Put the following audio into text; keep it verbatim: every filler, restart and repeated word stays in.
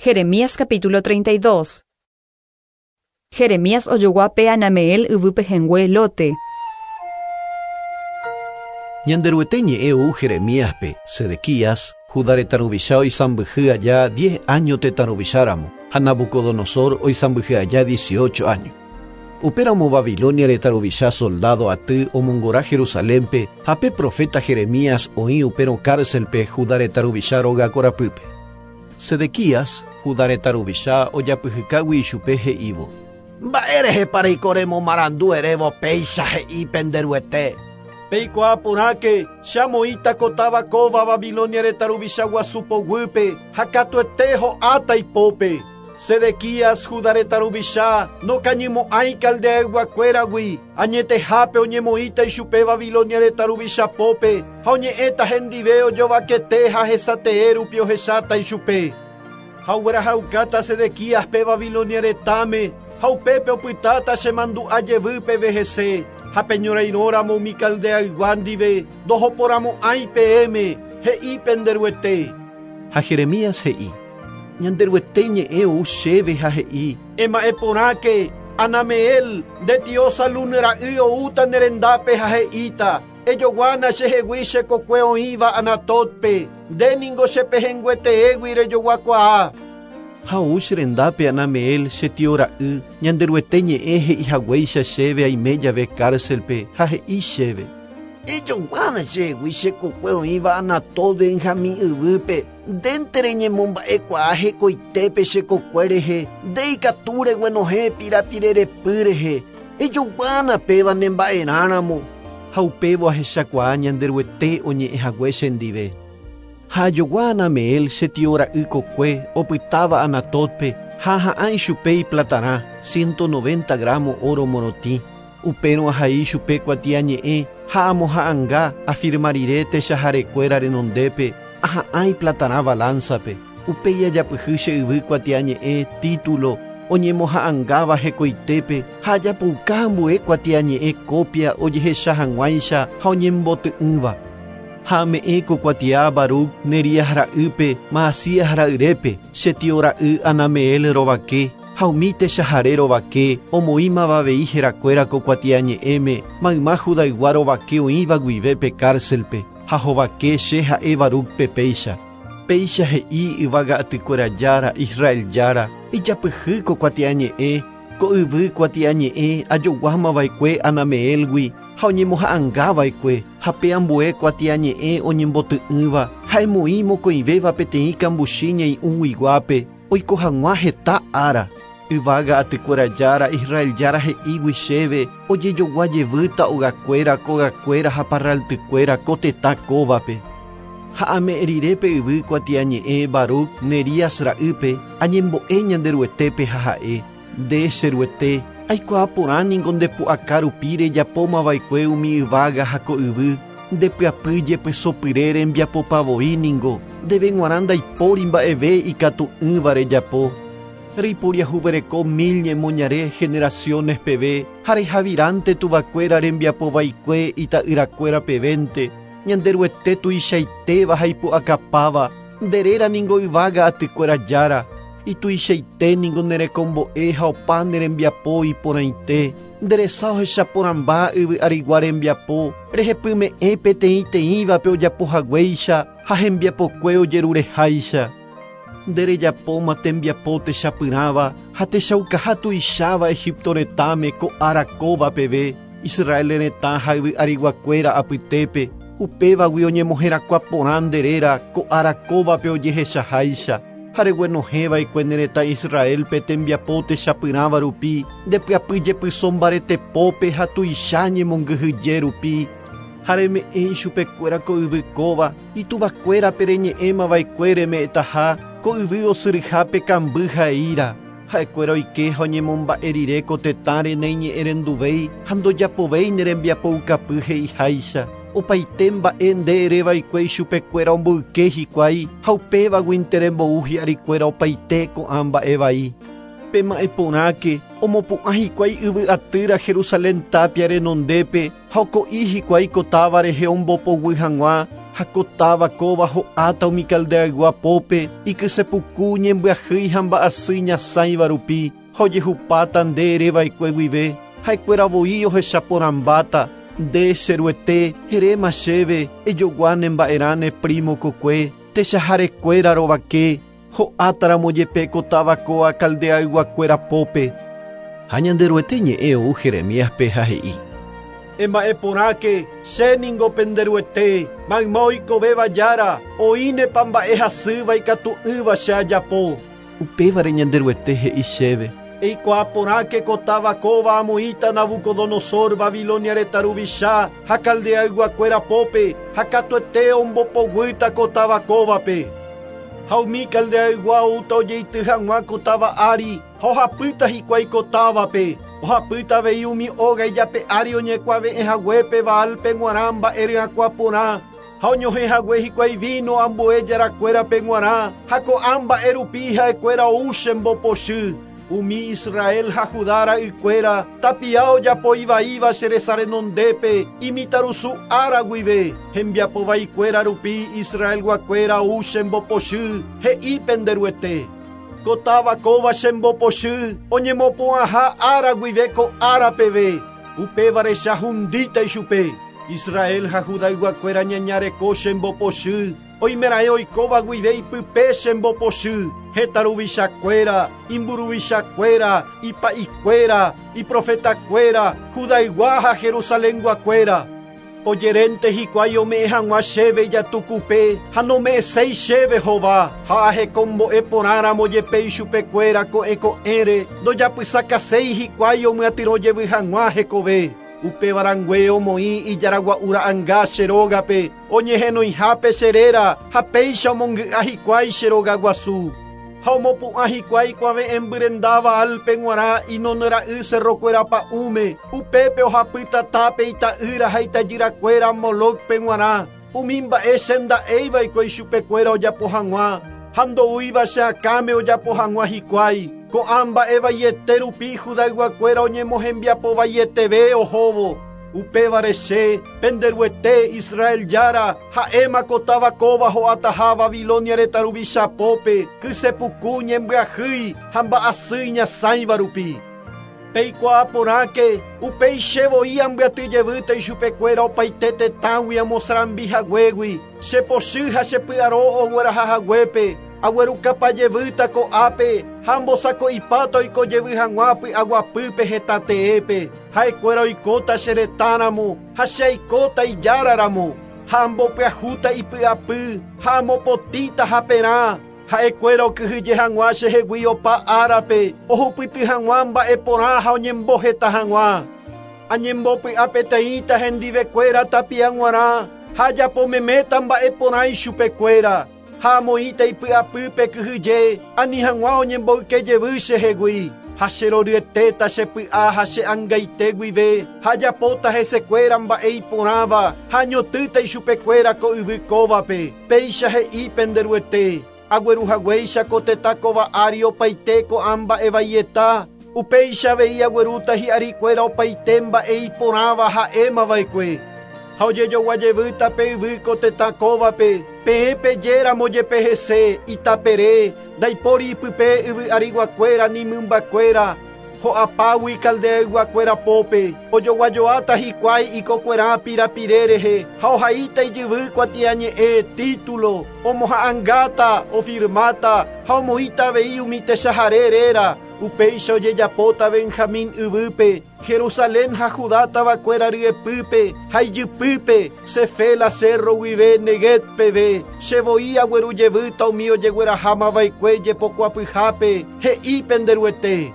Jeremías capítulo treinta y dos. Jeremías ojogua pe Anameel yvy pehẽngue lote. Ñanderuete ñe'ẽ ou Jeremíaspe, Sedequías, Judá retã ruvicha oisãmbyhy aja diez años tetã ruvicháramo, ha Nabucodonosor oisãmbyhy aja dieciocho años. Upéramo Babilonia retã ruvicha soldado aty omongora Jerusalénpe, ha pe profeta Jeremías oĩ upérõ cárcelpe Judá retã ruvicha róga korapýpe. Sedequías, Judá retã ruvicha ojapyhykágui ichupe he'ívo: Mba'érehepa reiko remomarandu erévo péicha he'i penderuete. Peikuaa porãke che amoĩta ko táva kóva Babilonia retã ruvicha guasu poguýpe ha katuete ho'áta ipópe. Sedequías, Judá retã ruvicha, nokañymo'ãi Caldeayguakuéragui, añetehápe oñemoĩta ichupe Babilonia retã ruvicha pópe ha oñe'ẽta hendive ojovakete ha hesatee rupi ohecháta ichupe. Ha oguerahaukáta Sedequíaspe Babilonia retãme ha upépe opytáta chemandu'a jevýpeve hese. Ha peñorairõramo umi Caldeaygua ndive ndohoporamo'ãi peẽme, he'i penderuete. Ha Jeremías he'i: Ñanderuete ñe'ẽ ou chéve ha he'i: Ema'ẽ porãke, Anameel, nde tio Salún ra'y oúta ne rendápe ha he'íta: Ejoguána chehegui che kokue oĩva Anatotpe, nde ningo chepehẽngueteégui rejoguakuaa. Ha ou che rendápe Anameel che tio ra'y, Ñanderuete ñe'ẽ he'ihaguéicha chéve aime jave cárcelpe ha he'i chéve: Ejoguána chehegui che kokue oĩva Anatot Benjamín yvýpe, ndénte reñemomba'ekuaa hekoitépe che kokue rehe, nde ikatu reguenohẽ pirapirerepy rehe, ejoguána péva nemba'erãramo. Ha upévo ahechakuaa Ñanderuete oñe'ẽhague chendive. Ha ajogua Anameel che tio ra'y kokue opytáva Anatotpe ha aha'ã ichupe iplatarã ciento noventa gramo oro morotĩ. Upérõ ahai ichupe kuatiañe'ẽ ha amoha'ãnga afirma rire techaharekuéra renondépe aha'ã iplatarã balanzape. Upéi ajapyhy che yvy kuatiañe'ẽ título oñemoha'ãngáva hekoitépe ha ajapouka ambue kuatiañe'ẽ copia ojehecha hag̃uáicha ha oñemboty'ỹva. Ha ame'ẽ ko kuatia Baruc Nerías ra'ýpe Maasías ra'yrépe che tio ra'y Anameel rovake ha umi techahare rovake omoĩmava avei herakuéra ko kuatiañe'ẽme mayma Judaygua rovake oĩva guive pe cárcelpe ha hovake che ha'e Barucpe péicha. Péicha he'i yvága atykuéra jára Israel jára ijapyhy ko kuatiañe'ẽ ko yvy kuatiañe'ẽ ajoguámava'ekue Anameelgui ha oñemoha'ãngava'ekue ha pe ambue kuatiañe'ẽ oñemboty'ỹva ha emoĩ mokõivéva peteĩ kambuchi ñai'ũguiguápe oiko hag̃ua heta ára. Yvága atykuéra jára Israel jára he'ígui chéve ojejogua jevýta ogakuéra kogakuéra ha parraltykuéra ko tetã kóvape. Ha ame'ẽ rire pe yvy kuatiañe'ẽ Baruc Nerías ra'ýpe añembo'e Ñanderuetépe ha ha'e: Nde cheruete, aikuaa porã ningo ndepu'aka rupi rejapómava'ekue umi yvága ha ko yvy, ndepyapy jepesopyre rembiapopavoi ningo, ndéve g̃uarã ndaipóri mba'eve ikatu'ỹva rejapo. Reiporiahuvereko mil ñemoñare generaciones peve ha rehaviránte tuvakuéra rembiapovaikue ita'yrakuéra pevénte, Ñanderuete tuichaitéva ha ipu'akapáva, nde réra ningo yvága atykuéra jára, ituichaite ningo nerekombo'e ha opa ne rembiapo iporãite, nderesa ohechaporãmba yvy arigua rembiapo, rehepyme'ẽ peteĩteĩvape ojapohaguéicha ha hembiapokue ojerureháicha. Nde rejapóma tembiapo techapyrãva ha techaukaha tuicháva Egipto retãme ko ára kóva peve, Israel retã ha yvy ariguakuéra apytépe, upévagui oñemoherakuã porã nde réra ko ára kóvape ojehechaháicha. Ha reguenohẽva'ekue ne retã Israelpe tembiapo techapyrãva rupi, ndepyapy jepyso mbaretepópe ha tuicha ñemongyhyje rupi. Ha reme'ẽ ichupekuéra ko yvy kóva, ituvakuérape reñe'ẽmava'ekue reme'ẽtaha ko yvy osyryhápe kamby ha eíra. Ha'ekuéra oike ha oñemomba'e rire ko tetãre naiñe'ẽrenduvéi ha ndojapovéi ne rembiapoukapy he'iháicha. Opaite mba'e nde ereva'ekue ichupekuéra omboyke hikuái ha upévaguinte rembou hi'arikuéra opaite ko'ã mba'e vai. Pema'ẽ porãke omopu'ã hikuái yvy atýra Jerusalén tapia renondépe ha oko'i hikuái ko táva rehe ombopoguy hag̃ua Ha kóva kóva ho'áta umi Caldeaygua pópe, ikysepuku ñembyahýi ha mba'asy ñasãiva rupi, ha ojehupáta nde ereva'ekue guive, ha'ekuéra voi ohechaporãmbáta, nde che Ruete, eréma chéve, ejogua ne mba'erã ne primo kokue, techaharekuéra rovake, ho'átaramo jepe ko táva kóa Caldeayguakuéra pópe. Ha Ñanderuete ñe'ẽ ou Jeremíaspe ha he'i: Ema'ẽporãke, che ningo pende Ruete, mayma oikovéva jára, oĩnepa mba'e hasýva ikatu'ỹva che ajapo. Upévare Ñanderuete he'i chéve: Eikuaaporãke ko táva kóva amoĩta Nabucodonosor Babilonia retã ruvicha ha Caldeayguakuéra pópe, ha katuete ombopoguýta ko táva kóvape. Ha umi Caldeaygua oúta ojeity hag̃ua ko táva ári, ha ohapýta hikuái ko távape, ohapýta avei umi óga ijape ári oñekuave'ẽ haguépe Baalpe g̃uarã mba'e ryakuã porã, ha oñohẽ hague hikuái vino ambue jarakuérape g̃uarã, ha ko'ã mba'e rupi ha'ekuéra ou chembopochy. Umi Israel ha Judá ra'ykuéra tapia ojapo ivaíva che resa renondépe imitarusu ára guive, hembiapo vaikuéra rupi Israelguakuéra ou chembopochy, he'i pende Ruete. Ko táva kóva chembopochy, oñemopu'ãha ára guive ko ára peve, upévare che ahundíta ichupe. Israel ha Judayguakuéra ñañareko chembopochy, oimeraẽ oikóva guive ipype chembopochy, heta ruvichakuéra, imburuvichakuéra, ipa'ikuéra, iprofetakuéra, Judaygua ha Jerusalenguakuéra. Ojerénte hikuái ome'ẽ hag̃ua chéve ijatukupe ha nome'ẽséi chéve hova, ha ahekombo'e porãramo jepe ichupekuéra ko'ẽ ko'ẽre, ndojapysakaséi hikuái omyatyrõ hag̃ua hekove. Upévarangue omoĩ ijaragua'u ra'ãnga che rógape, oñehenoihápe che réra, ha péicha omongy'a hikuái che rogaguasu. Ha omopu'ã hikuái kuave'ẽmbyrendáva Baalpe g̃uarã Hinón ra'y cerrokuéra pa'ũme, upépe ohapýta tape ita'ýra ha itajyrakuéra Molocpe g̃uarã, umi mba'e che nda'éiva'ekue ichupekuéra ojapo hag̃ua, ha ndoúiva che akãme ojapo hag̃ua hikuái. Ko'ã mba'e vaiete rupi Judayguakuéra oñemohembiapo vaieteve ohóvo. Upévare che, pende Ruete, Israel jára, ha'éma ko táva kóva ho'ataha Babilonia retã ruvicha pópe, kysepuku ñembyahýi ha mba'asy ñasãiva rupi. Peikuaaporãke, upéi che voi ambyatyjevýta ichupekuéra opaite tetãgui amosarambi haguégui, chepochy ha chepy'aro ogueraha haguépe, aguerukapajevýta ko'ápe ha ambosako'ipáta oikojevy hag̃ua py'aguapýpe hetateépe, ha'ekuéra oikóta che retãramo ha che aikóta ijáraramo, ha ambopyahúta ipy'apy ha amopotĩta haperã, ha'ekuéra okyhyje hag̃ua chehegui opa árape, ohupyty hag̃ua mba'e porã ha oñemboheta hag̃ua. Añembopy'apeteĩta hendivekuéra tapia g̃uarã, ha ajapomeméta mba'e porã ichupekuéra, ha amoĩta ipy'apýpe kyhyje, ani hag̃ua oñemboykejevy chehegui, ha cheroryetéta chepy'a ha che angaite guive, ha ajapóta hesekuéra mba'e iporãva, ha añotýta ichupekuéra ko yvy kóvape, péicha he'i pende Ruete. Agueruhaguéicha ko tetã kóva ári opaite ko'ã mba'e vaieta, upéicha avei aguerúta hi'arikuéra opaite mba'e iporãva ha'émava'ekue. Ha ojejoguajevýta pe yvy ko tetã kóvape, peẽ pejéramo jepe hese, itapere, ndaipóri ipype yvy ariguakuéra ni mymbakuéra, ho'apágui Caldeayguakuéra pópe, ojoguajoáta hikuái ikokuerã pirapire rehe, ha ohaíta ijyvy kuatiañe'ẽ título, omoha'ãngáta, ofirmáta, ha omoĩta avei umi techahare réra, upéicha ojejapóta Benjamín yvýpe, Jerusalén ha Judá tavakuéra ryepýpe, ha ijypýpe, Sefela cerro guive Neguev peve, che voi aguerujevýta umi ojeguerahámava'ekue jepokuapyhápe, he'i pende Ruete.